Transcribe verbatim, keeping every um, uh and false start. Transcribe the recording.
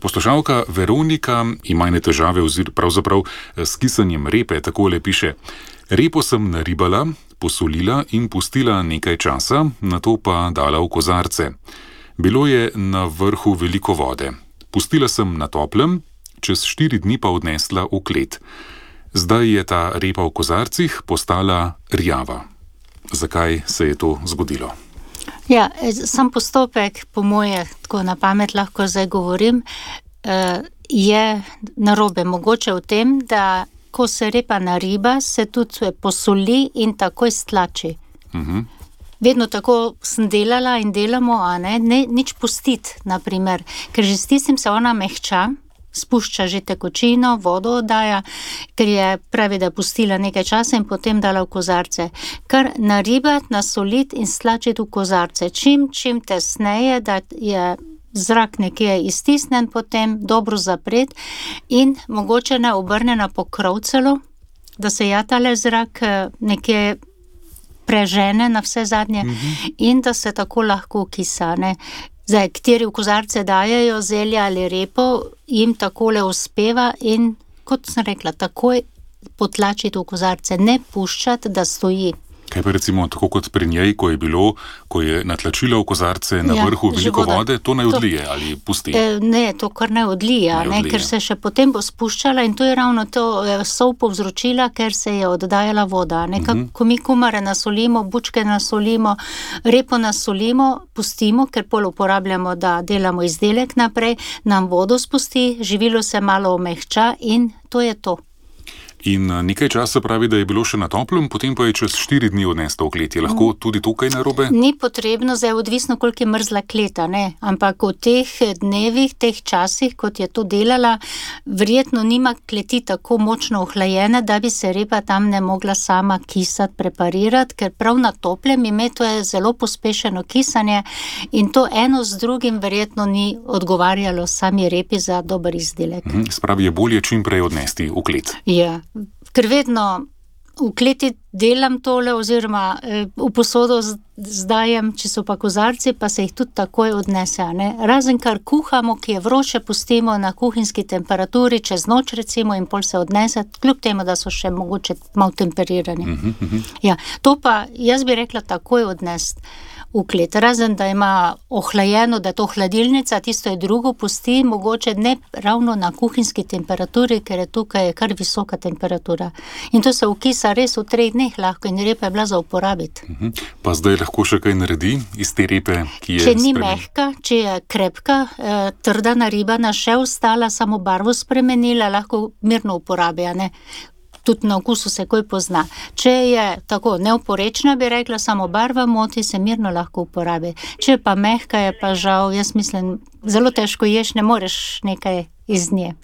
Poslušalka Veronika ima ene težave ozir pravzaprav s kisanjem repe, takole piše. Repo sem naribala, posolila in pustila nekaj časa, nato pa dala v kozarce. Bilo je na vrhu veliko vode. Pustila sem na toplem, čez štiri dni pa odnesla v klet. Zdaj je ta repa v kozarcih postala rjava. Zakaj se je to zgodilo? Ja, sam postopek, po moje, tako na pamet lahko zdaj govorim, je narobe. Mogoče v tem, da ko se repa nariba, se tudi posoli in takoj stlači. Uh-huh. Vedno tako sem delala in delamo, a ne, ne nič pustiti, naprimer, ker že s tistim se ona mehča, spušča že tekočino, vodo oddaja, ker je pravi, da pustila nekaj časa in potem dala v kozarce. Kar naribati, nasoliti in stlačiti v kozarce. Čim, čim tesneje, da je zrak nekje iztisnen, potem dobro zapret in mogoče ne obrne na pokrov celo, da se ja tale zrak nekje prežene na vse zadnje mm-hmm. in da se tako lahko kisa, ne. Zdaj, kateri v kozarce dajajo zelje ali repo, jim takole uspeva in, kot sem rekla, takoj potlačiti v kozarce, ne puščati, da stoji. Kaj pa recimo, tako kot pri njej, ko je bilo, ko je natlačila v kozarce na ja, vrhu veliko vode, to ne odlije to, ali pusti? Eh, ne, to kar ne odlije, ne, ne, ker se še potem bo spuščala in to je ravno to eh, sol povzročila, ker se je oddajala voda. Ne, uh-huh. Ko mi kumare nasolimo, bučke nasolimo, repo nasolimo, pustimo, ker pol uporabljamo, da delamo izdelek naprej, nam vodo spusti, živilo se malo omehča in to je to. In nekaj časa pravi, da je bilo še na toplem, potem pa je čez štiri dni odnesla v klet. Je lahko tudi tukaj narobe? Ni potrebno, zdaj odvisno, koliko je mrzla kleta, ne. Ampak v teh dnevih, teh časih, kot je to delala, verjetno nima kleti tako močno ohlajene, da bi se repa tam ne mogla sama kisati, preparirati, ker prav na toplem ime to je zelo pospešeno kisanje in to eno z drugim verjetno ni odgovarjalo sami repi za dober izdelek. Mhm, spravi, je bolje čim prej odnesti v klet. Ja. Ker vedno v kleti delam tole oziroma v posodo zdajem, če so pa kozarci, pa se jih tudi takoj odnese. Ne? Razen kar kuhamo, ki je vroče, pustimo na kuhinjski temperaturi čez noč recimo in pol se odnese, kljub temu, da so še mogoče malo temperirani. Uh-huh, uh-huh. Ja, to pa jaz bi rekla takoj odnesti v klet. Razen, da ima ohlajeno, da je to hladilnica, tisto je drugo, pusti mogoče ne ravno na kuhinjski temperaturi, ker je tukaj kar visoka temperatura. In to se ukisa res v treh dneh lahko in repa je bila za uporabiti. Uh-huh. Pa zdaj lahko še kaj naredi iz te repe, ki je... Če ni spremen... mehka, če je krepka, eh, trda naribana, še ostala, samo barvo spremenila, lahko mirno uporablja, ne. Tudi na okusu se koj pozna. Če je tako neoporečna, bi rekla, samo barva moti, se mirno lahko uporabi. Če pa mehka je pa žal, jaz mislim, zelo težko ješ, ne moreš nekaj iz nje.